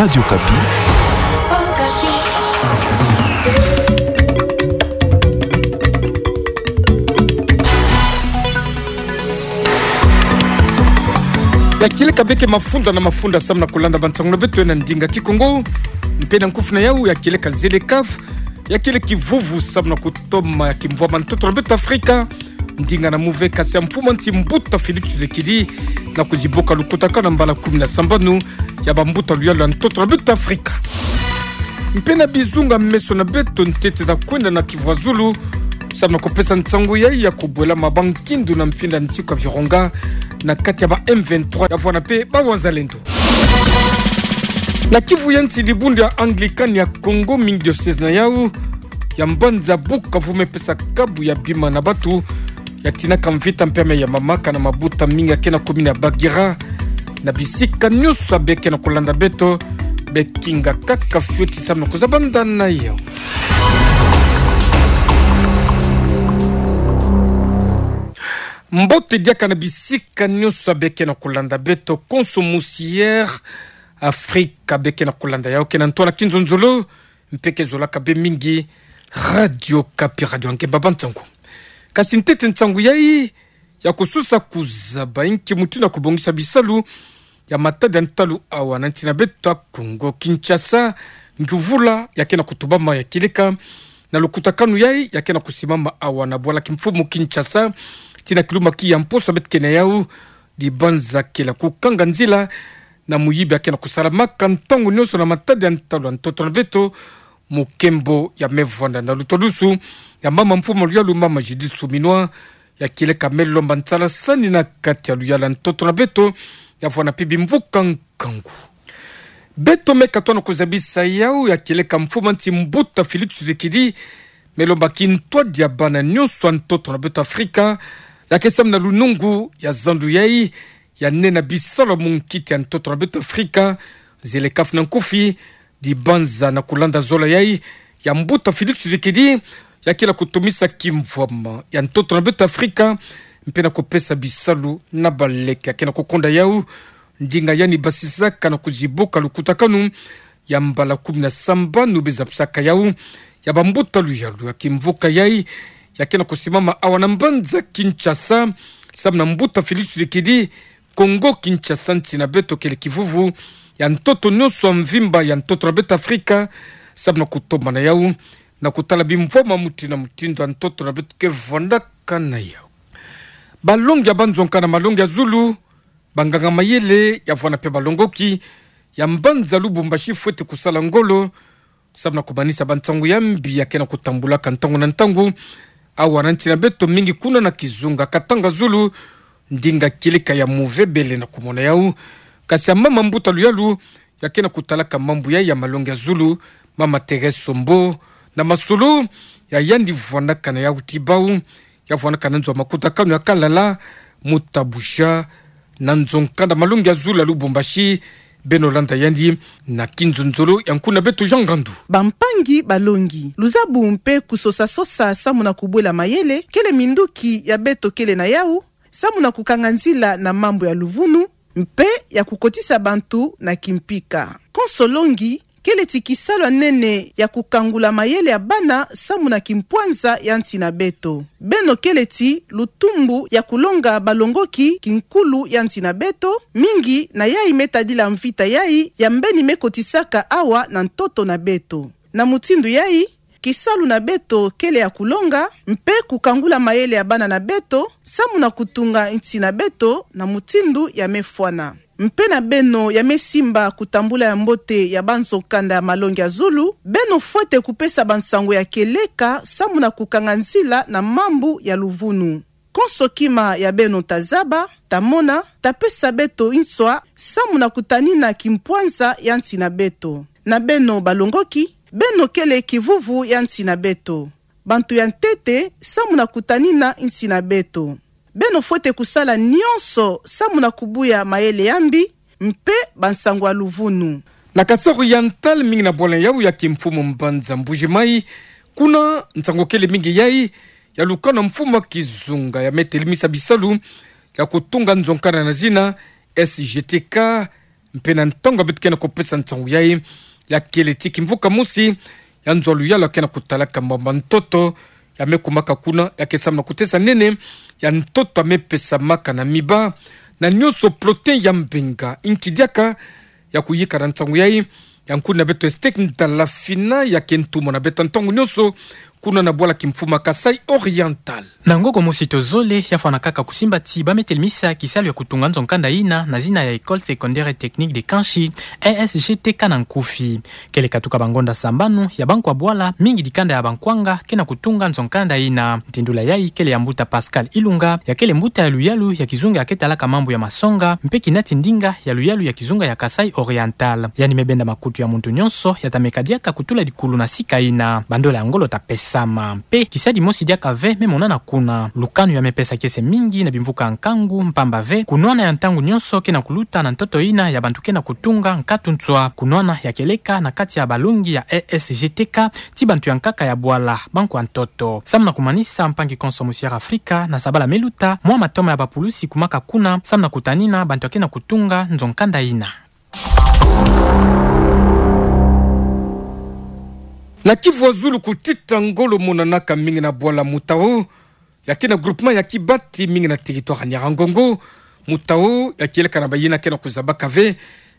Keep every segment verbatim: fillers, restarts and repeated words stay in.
Radio Okapi. Ya kieleka beke mafunda na mafunda samu na kulanda bansangu na beto na ndinga Kikongo. Mpe na nkufi na yau ya kieleka ZLECAf, ya kieleka kivuvu samu na kutoma ya kimvwama ntoto na beto Afrika. Ndinga na muve kasi ya mfumu a nsi mbuta Félix Tshisekedi na kuzibuka lukutakanu na mbala kumi na sambanu ya bambuta luyalu ya ntoto na beto Afrika. Mpe na bizunga meso na beto ntete za kwenda na Kivu ya Zulu, samu na kupesa nsangu yayi ya kubwela mabankindu na mfinda nsiku ya Virunga na kati ya ba M vingt-trois ya vwanda mpe ba Wazalendo. Na Kivu ya nsi, dibundu ya Anglican ya Congo, mingi diocèse na yau ya mbanza Bukavu me pesa kabu ya bima na batu ya tinaka mvita mpe ya mamaka na mabuta mingi ya ke na commune ya Bagira. Na bisika nyonso ya beke na kulanda beto, be kinga kaka fioti samu na kuzabanda na yau. Mbote diaka na bisika nyonso ya beke na kulanda beto, konso musi ya Afrika beke na kulanda yau ke na ntwala kinzonzolo, mpe ke zolaka be mingi Radio Okapi, radio ya ngemba bansangu. Kasi ntete nsangu yayi ya kususa kuzaba inki mutindu ya kubongisa bisalu ya matadi ya ntalu awa na nsi na beto ya Congo Kinshasa, ngiuvula ya ke na kutubama ya kieleka na lukutakanu yayi ya ke na kusimama awa na bwala kimfumu Kinshasa, tii na kilumba ki ya mposo beto ke na yau, dibanzakela kukanga nzila na muyibi ya ke na kusalamaka ntangu nyonso na matadi ya ntalu ya ntoto na beto, mu nkembo ya me vwanda na lutadusu ya mama mfumu a luyalu, mama Judith Suminwa, ya kieleka me lomba nsalasani na kati ya luyalu ya ntoto na beto, ya vwanda mpe bimvuka nkangu. Beto me katoa na kuzabisa yau ya kieleka mfumu a nsi mbuta Félix Tshisekedi me lomba kintwadi ya bana nyonso ya ntoto na beto Afrika ya ke samu na lunungu ya zandu yayi ya nene bisalu mu nkiti ya ntoto na beto Afrika, ZLECAf na nkufi, dibanza na kulanda zola yayi ya mbuta Félix Tshisekedi ya ke na kutumisa kimvwama ya ntoto na beto Afrika, mpe na kupesa bisalu na baleke ya ke na kukonda yau. Ndinga yandi basisaka na kuzibuka lukutakanu ya mbala kumi na sambanu be zabisaka yau ya bambuta luyalu ya kimvuka yayi ya ke na kusimama awa na mbanza Kinshasa, samu na mbuta Félix Tshisekedi, Congo Kinshasa, nsi na beto kele kivuvu ya ntoto nyonso ya mvimba ya ntoto na beto Afrika, samu na kutoma na yau na kutala bimvwama mutindu na mutindu ya ntoto na beto ke vwandaka na yau. Balongi ya banzonka na malongi ya zulu, banganga mayele ya vwanda mpe balongoki ya mbanza Lubumbashi fwete kusala ngolo samu na kumanisa bansangu ya mbi ya ke na kutambulaka ntangu na ntangu awa na nsi na beto, mingi kuna na kizunga Katanga Zulu, ndinga kieleka ya muve bele na kumona yau. Kasi ya mama mbuta luyalu ya ke na kutalaka mambu yayi ya malongi ya zulu, mama Thérèse Sombo, na masolo ya yandi vwandaka na yau ti bau, ya vwandaka na nzo ya makutakanu ya Kalala, mu Tabusha, na nzo nkanda malongi ya zulu ya Lubumbashi. Beno landa yandi na kinzonzolo ya nkuna beto Jean Ngandu. Bampangi balongi, luzabu mpe kusosa-sosa samu na kubwela mayele kele minduki ya beto kele na yau samu na kukanga nzila na mambu ya luvunu mpe ya kukotisa bantu na kimpika. Konso longi kele ti kisalu ya nene ya kukangula mayele ya bana samu na kimpwanza ya nsi na beto. Beno kele ti lutumbu ya kulonga balongoki kinkulu ya nsi na beto, mingi na yayi me tadila mvita yayi ya mbeni me kotisaka awa na ntoto na beto. Na mutindu yayi, kisalu na beto kele ya kulonga mpe kukangula mayele ya bana na beto samu na kutunga nsi na beto na mutindu ya me fwana. Mpe na beno ya me simba kutambula ya mbote ya banzo nkanda ya malongi ya zulu, beno fwete kupesa bansangu ya kieleka samu na kukanga nzila na mambu ya luvunu. Konso kima ya beno ta zaba, ta mona, ta pesa beto nswa samu na kutanina kimpwanza ya nsi na beto. Na beno balongoki, beno kele kivuvu ya nsi na beto. Bantu ya ntete samu na kutanina nsi na beto. Beno fwete kusala nyonso samu na kubuya mayele ya mbi mpe bansangu ya luvunu. Na Kasai Oriental, mingi na bwala yau ya kimfumu mbanza Mbuji-Mayi, kuna nsangu kele mingi yayi ya lukana mfumu a kizunga ya me telemisa bisalu ya kutunga nzo nkanda na zina S G T K, Mpe na ntangu ya beto ke na kupesa nsangu yai, ya kele ti kimvuka mosi ya nzo ya luyalu ya ke na kutalaka mambu ya ntoto, ya me kumaka kuna, ya ke samu na kutesa nene ya ntoto ya me pesamaka na miba, na nionso protéine ya mbenga. Inki diaka ya kuyika na nsangu yai, ya nkuni na beto Estek Ndalafina, ya ke ntumwa na beto ntangu nionso kuna na bwala kimfuma Kasaï Oriental. Na ngoko mosi to zole, ya fwana kaka kusimba ti ba me telemisa kisalu ya kutunga nzo nkanda ina na zina ya École Secondaire Technique de Kanchi, E S G T K na nkufi. Kele katuka bangonda sambanu ya bankwa bwala, mingi dikanda ya bankwanga ke na kutunga nzo nkanda ina. Ntindula yai kele ya mbuta Pascal Ilunga, ya kele mbuta ya luyalu ya kizunga ya ke talaka mambu ya masonga, mpe kinati ndinga ya luyalu ya kizunga ya Kasaï Oriental. Yandi me benda makutu ya muntu nionso ya ta meka diaka kutula dikulu na sika ina. Bandola ya ngolo ta pesama. Mpe kisadi mosi diaka ve me monana kuna. Lukanu ya me pesa kiese mingi na bimvuka ya nkangu, mpamba ve kunwana ya ntangu nionso ke na kuluta na ntoto ina ya bantu ke na kutunga nkatu nswa. Kunwana ya kieleka na kati ya balongi ya E S G T K ti bantu ya nkaka ya bwala, bankwa ntoto. Samu na kumanisa, mpangi konso Musière Afrika, na sabala me luta, mwa matoma ya bapulusi kumaka kuna samu na kutanina bantu ya ke na kutunga nzo nkanda ina. Na Kivu ya zulu, kutita ngolo monanaka mingi na bwala Mutao, ya ke na groupement ya Kibati, mingi na territoire ya Nyiragongo. Mutao ya kieleka na bayina ke na kuzabaka ve,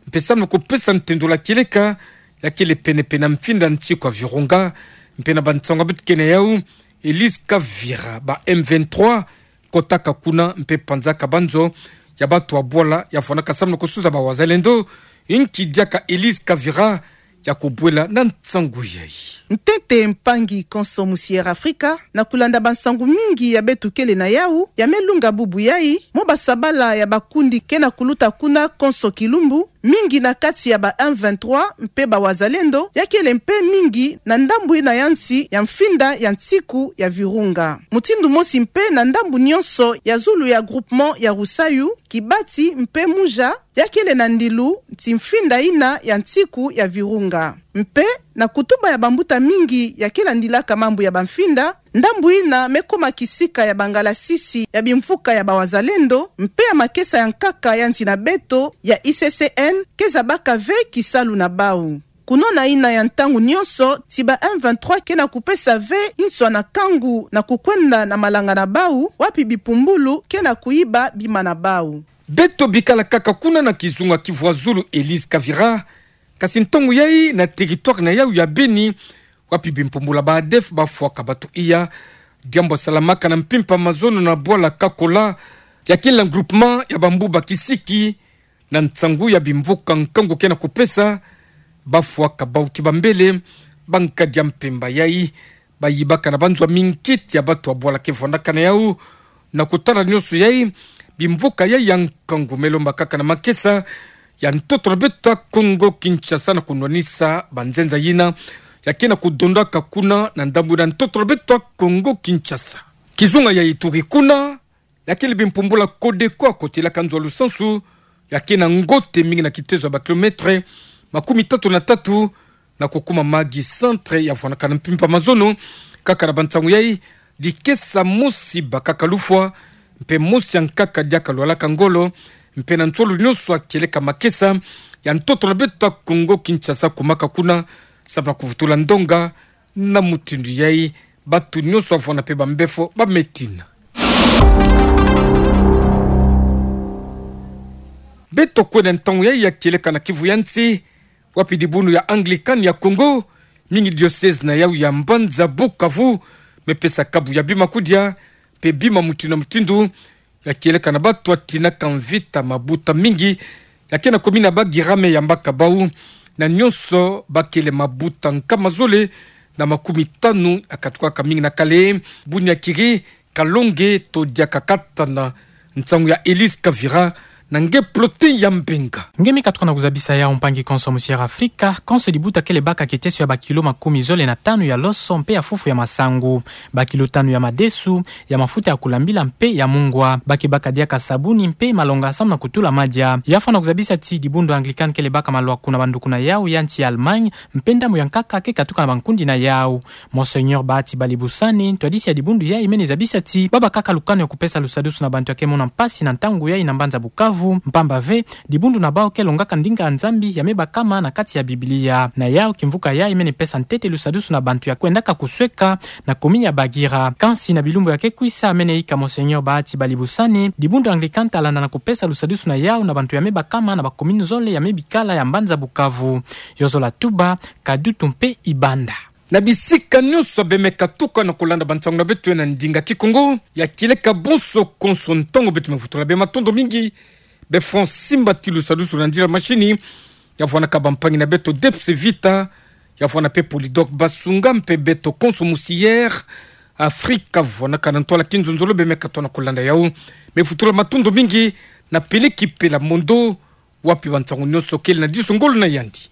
mpe samu na kupesa ntendula kieleka, ya kele penepene na mfinda nsiku ya Virunga. Mpe na bansangu ya beto ke na yau, Elise Kavira, ba M vingt-trois kotaka kuna mpe panzaka banzo ya batu ya bwala, ya fwanaka samu na kusuza ba wazalendo. Inki diaka Elise Kavira ya kubwela na nsangu yai. Ntete, mpangi konso Musière Afrika, na kulanda bansangu mingi ya beto kele na yau, ya me lunga bubu yai, mwa basabala ya bakundi ke na kuluta kuna konso kilumbu, mingi na kati ya ba M vingt-trois mpe ba wazalendo, ya kele mpe mingi na ndambu ina ya nsi ya mfinda ya nsiku ya Virunga. Mutindu mosi mpe na ndambu nionso ya zulu ya groupement ya Rusayu, Kibati mpe Muja, ya kele na ndilu ti mfinda ina ya nsiku ya Virunga. Mpe na kutuba ya bambuta mingi ya ke landilaka mambu ya bamfinda, ndambu ina me koma kisika ya bangalasisi ya bimvuka ya ba wazalendo, mpe ya makesa ya nkaka ya nsi na beto ya I C C N ke zabaka ve kisalu na bau. Kunwana ina ya ntangu nionso ti ba M vingt-trois ke na kupesa ve nswa na nkangu na kukwenda na malanga na bau, wapi bipumbulu ke na kuyiba bima na bau. Beto bikala kaka kuna na kizunga Kivu ya zulu, Elise Kavira, kasi ntangu yai na territoire na yau ya Beni, wapi bimpumbulu ya ba ADF bafwaka batu iya, diambu ya salamaka na mpimpa mazono na bwala Kakola, ya kele na groupement ya Bambuba Kisiki, na nsangu ya bimvuka nkangu ke na kupesa, bafwaka bauti bambele, bankadi ya mpemba yai, bayibaka na banzo ya minkiti ya batu ya bwala ke vwandaka na yau, na kutala nionso yai, bimvuka yai ya nkangu me lomba kaka na makesa ya ntoto na beto ya Kongo Kinshasa na kunwanisa banzenza yina ya ke na kudondaka kuna na ndambu na ntoto na beto ya Kongo Kinshasa. Kizunga ya Ituri kuna, ya kele bimpumbulu ya Codeco ya kotelaka nzo ya lusansu, ya ke na ngote mingi na kitezo ya ba kilomètre makumi tatu na tatu, na kukuma magi centre ya vwandaka na mpimpa mazono. Kaka na bansangu yai, dikesa mosi bakaka lufwa, mpe mosi ya nkaka diaka lwalaka ngolo, mpe na nsolo nionso ya kieleka makesa ya ntoto na beto ya Kongo Kinshasa kumaka kuna, samu na kuvutula ndonga, na mutindu yai, batu nionso ya vwanda mpe bambefo ba me tina. Beto kwenda ntangu yai ya kieleka na Kivu ya nsi, wapi dibundu ya Anglican ya Congo, mingi diocèse na yau ya mbanza Bukavu, me pesa kabu ya bima kudia, mpe bima mutindu na mutindu, ya kieleka na batu ya tinaka mvita mabuta mingi, ya ke na commune ya Bagira me yambaka bau, na nionso ba kele mabuta nkama zole na makumi tanu, ya katukaka mingi na Kale, Bunyakiri, Kalonge, to diaka kata na nsangu ya Elise Kavira, na nge Plotin ya Mbenga. Nge me katuka na kuzabisa yau, mpangi konso Musière Afrika, konso dibuta kele baka kiteso ya ba kilo makumi zole na tanu ya loso mpe ya fufu ya masangu, ba kilo tanu ya madesu, ya mafuta ya kulambila mpe ya mungwa. Ba ke baka diaka sabuni mpe malonga samu na kutula madia. Ya fwana kuzabisa ti dibundu Anglican kele baka malwaku na banduku na yau ya nsi ya Allemagne, mpe ndambu ya nkaka ke katuka na bankundi na yau. Monseigneur Bahati Balibusani, ntwadisi ya dibundu yai, mene zabisa ti ba bakaka lukanu ya kupesa lusadusu na bantu ya ke mona mpasi na ntangu yai na mbanza Bukavu. Mpamba ve, dibundu na bau ke longaka ndinga ya Nzambi ya me bakama na kati ya Biblia. Na yau kimvuka yayi mene pesa ntete lusadusu na bantu ya kwendaka kusweka na commune ya Bagira. Kansi na bilumbu ya ke kwisa mene ika Monseigneur Bahati Balibusani, dibundu Anglican ta landa na kupesa lusadusu na yau na bantu ya me bakama na ba commune zole ya me bikala ya mbanza Bukavu. Yo zola tuba, Kadutu mpe Ibanda. Na bisika nyonso bemeka tuka na kulanda bansangu na beto na ndinga Kikongo, ya kieleka bonso konso ntangu beto mevutula beno matondo mingi, be Francis Mbati lusadusu na ndila mashini, ya vwanaka bampangi na beto Debs Vita, ya vwana mpe Polydor Basunga mpe beto konso musi Air Afrika vwanaka na ntwala kinzonzolo bemeka tona kulanda yau. Mevutula matondo mingi na peleki pela mondo, wapi bansangu nyonso kele na diso ngolo na yandi.